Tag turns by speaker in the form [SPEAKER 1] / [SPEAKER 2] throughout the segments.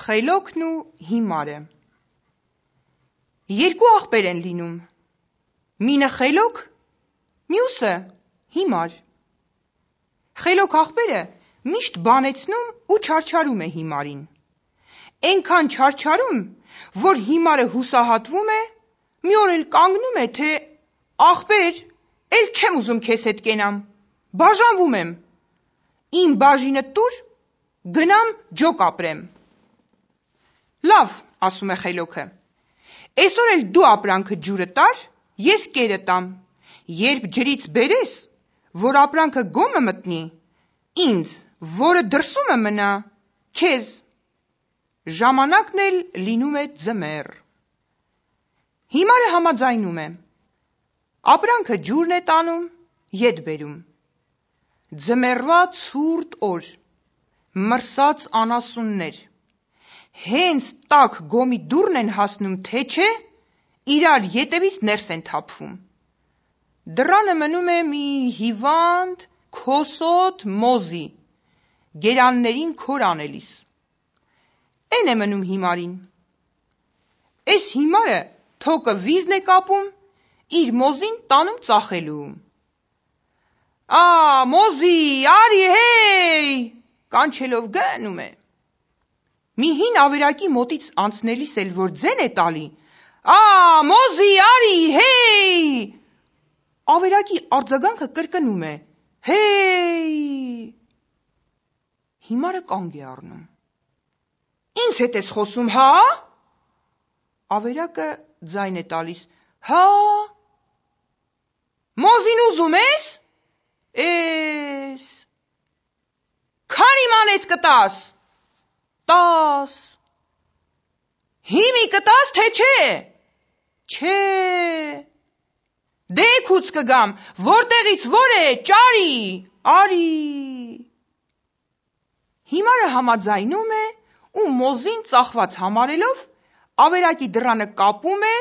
[SPEAKER 1] Խելոքն ու հիմարը։ Երկու աղբեր են լինում, մինը խելոք, մյուսը հիմար։ Խելոք աղբերը միշտ բանեցնում ու չարչարում է հիմարին։ Էնքան չարչարում, որ հիմարը հուսահատվում է, մի օր էլ կանգնում է, թե աղբեր, էլ չեմ ուզում քեզ հետ կենամ, բաժանվում եմ, իմ բաժինը տուր, գնամ ջոկ ապրեմ։ Լավ, ասում է խելոքը, այսօր էլ դու ապրանքը ջուրը տար, ես կերը տամ, երբ ջրից բերես, որ ապրանքը գոմը մտնի, ինձ, որը դրսումը մնա, քեզ։ Ժամանակն էլ լինում է ձմեռ։ Հիմարը համաձայնում է, ապրանքը ջուրն է տանում, ետ բերում։ Ձմեռվա ցուրտ օր, մրսած անասուններ, հենց տաք գոմի դուռն են հասնում, թե չէ, իրար ետևից ներս են թափվում։ Դռանը մնում է մի հիվանդ, քոսոտ մոզի, գերաններին քոր անելիս։ Էն է մնում հիմարին։ Էս հիմարը թոկը վիզն է կապում, իր մոզին տանում ծախելու։ Մոզի, արի հեյ, կանչելով գնում է։ Մի հին ավերակի մոտից անցնելիս էլ որ ձեն է տալի, մոզի, արի հեյ, ավերակի արձագանքը կրկնում է, հեյ։ Հիմարը կանգ է առնում։ Ինձ հետ ես խոսում, հա։ Ավերակը ձայն է տալիս, հա։ Մոզին ուզում ես։ Էս։ Քանի մանեթ կտաս։ 10։ Հիմի կտաս, թե չէ։ Չէ։ Դեքուց կգամ, որտեղից որ է, ճարի, արի։ Հիմարը համաձայնում է ու մոզին ծախված համարելով, ավերակի դռանը կապում է,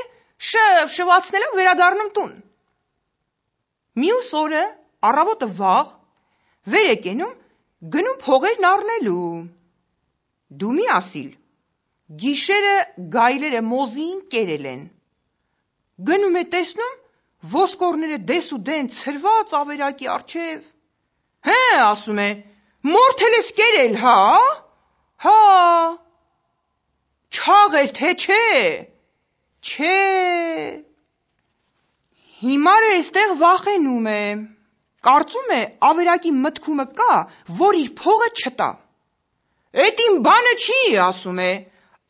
[SPEAKER 1] շվացնելով վերադառնում տուն։ Մյուս օրը, առավոտը վաղ, վեր է կենում, գնում փողերն առնելու։ Դու մի ասիլ, գիշերը գայլերը մոզին կերել են։ Գնում է տեսնում, ոսկորները դես ու դեն ցրված ավերակի առջև։ Հե, ասում է, մորթել ես կերել, հա։ Հա։ Չաղեր, թե չէ։ Չէ։ Հիմարը էստեղ վախենում է, կարծում է ավերակի մտքումը կա, որ իր փողը չտա։ Էդ իմ բանը չի, ասում է,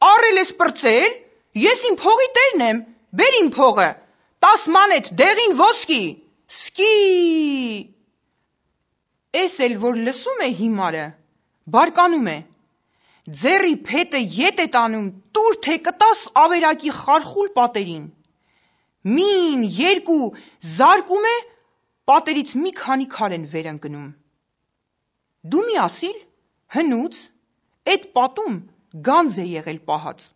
[SPEAKER 1] առել ես պրծել, ես իմ փողի տերն եմ, բեր իմ փողը, 10 մանեթ դեղին ոսկի, սկի։ Էս էլ որ լսում է հիմարը, բարկանում է, ձեռի փետը ետ է տանում, տուր թե կտաս ավերակի խարխուլ պատերին։ Մին, երկու, զարկում է, պատերից մի քանի քար են վեր ընկնում։ Դու մի ասիլ, հնուց, էդ պատում գանձ է եղել պահած։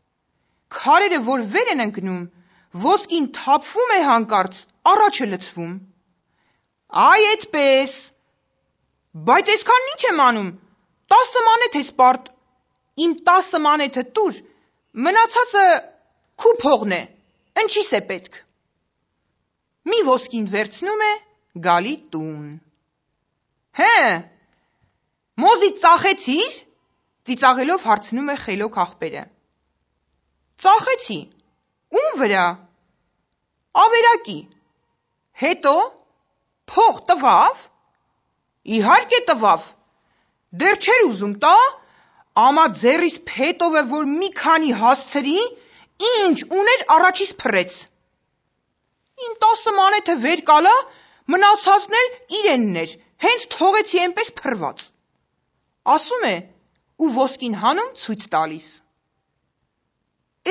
[SPEAKER 1] Քարերը որ վեր են ընկնում, ոսկին թափվում է հանկարծ, առաջը լցվում։ Այ էդպես, բայց այսքան ինչ եմ անում, 10 մանեթ ես պարտ, իմ 10 մանեթը տուր, մնացածը քու փողն է, ընչիս է պետք։ Մի ոսկին վերցնում է, գալի տուն։ Հե, մոզի ծախեցիր, ծիծաղելով հարցնում է խելոք աղբերը։ Ծախեցի, ում վրա։ Ավերակի։ Հետո, փող տվավ։ Իհարկե տվավ, դեռ չէր ուզում տա, ամա ձեռիս փետով է, որ մի քանի հասցրի, ինչ ուներ առաջիս փռեց։ Իմ 10 մանեթը վեր կալա, մնացածն էլ իրենն էր, հենց թողեցի էնպես փռված։ Ասում է ու ոսկին հանում ցույց տալիս։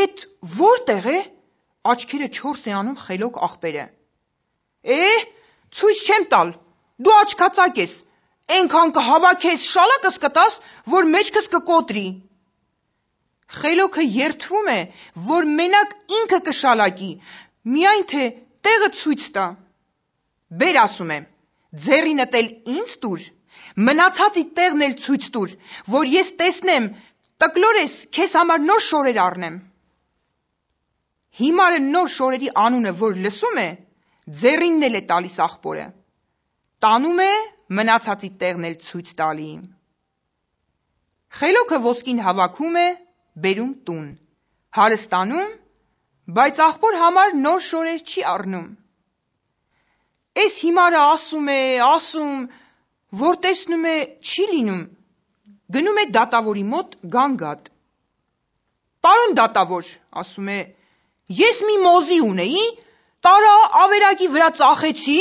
[SPEAKER 1] Էդ որտեղ է, աչքերը 4 է անում խելոք աղբերը։ Ցույց չեմ տալ, դու աչքածակ ես, էնքան կհավաքես շալակս կտաս, որ մեջքս կկոտրի։ Խելոքը երդվում է, որ մենակ ինքը կշալակի, միայն թե տեղը ցույց տա։ Բեր, ասում է, ձեռինդ էլ ինձ տուր, մնացածի տեղն էլ ցույց տուր, որ ես տեսնեմ, տկլոր ես, քեզ համար նոր շորեր առնեմ։ Հիմարը նոր շորերի անունը, որ լսում է, ձեռինն էլ է տալիս աղբորը, տանում է մնացածի տեղն էլ ցույց տալի։ Խելոքը ոսկին հավաքում է, բերում տուն, հարստանում, բայց աղբոր համար նոր շորեր չի առնում։ Էս հիմարը ասում, որ տեսնում է չի լինում, գնում է դատավորի մոտ գանգատ։ Պարոն դատավոր, ասում է, ես մի մոզի ունեի, տարա ավերակի վրա ծախեցի,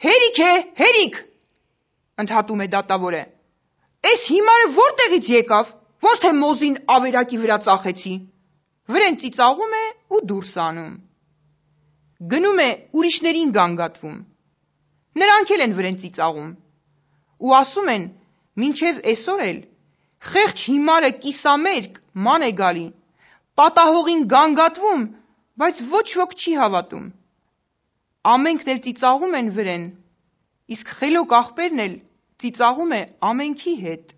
[SPEAKER 1] հերիք է, հերիք, ընդհատում է դատավորը։ Էս հիմարը որտեղից եկավ, որ թե մոզին ավերակի վրա ծախեցի, վրեն ծիծաղում է ու դուրս անում։ Գնում է ուրիշներին գանգատվում, նրանք էլ են վրեն ծիծաղում ու ասում են, մինչև այսօր էլ խեղճ հիմարը կիսամերկ ման է գալի, պատահողին գանգատվում, բայց ոչ ոք չի հավատում։ Ամենքն էլ ծիծաղում են վրեն, իսկ խելոք աղբերն էլ ծիծաղում է ամենքի հետ։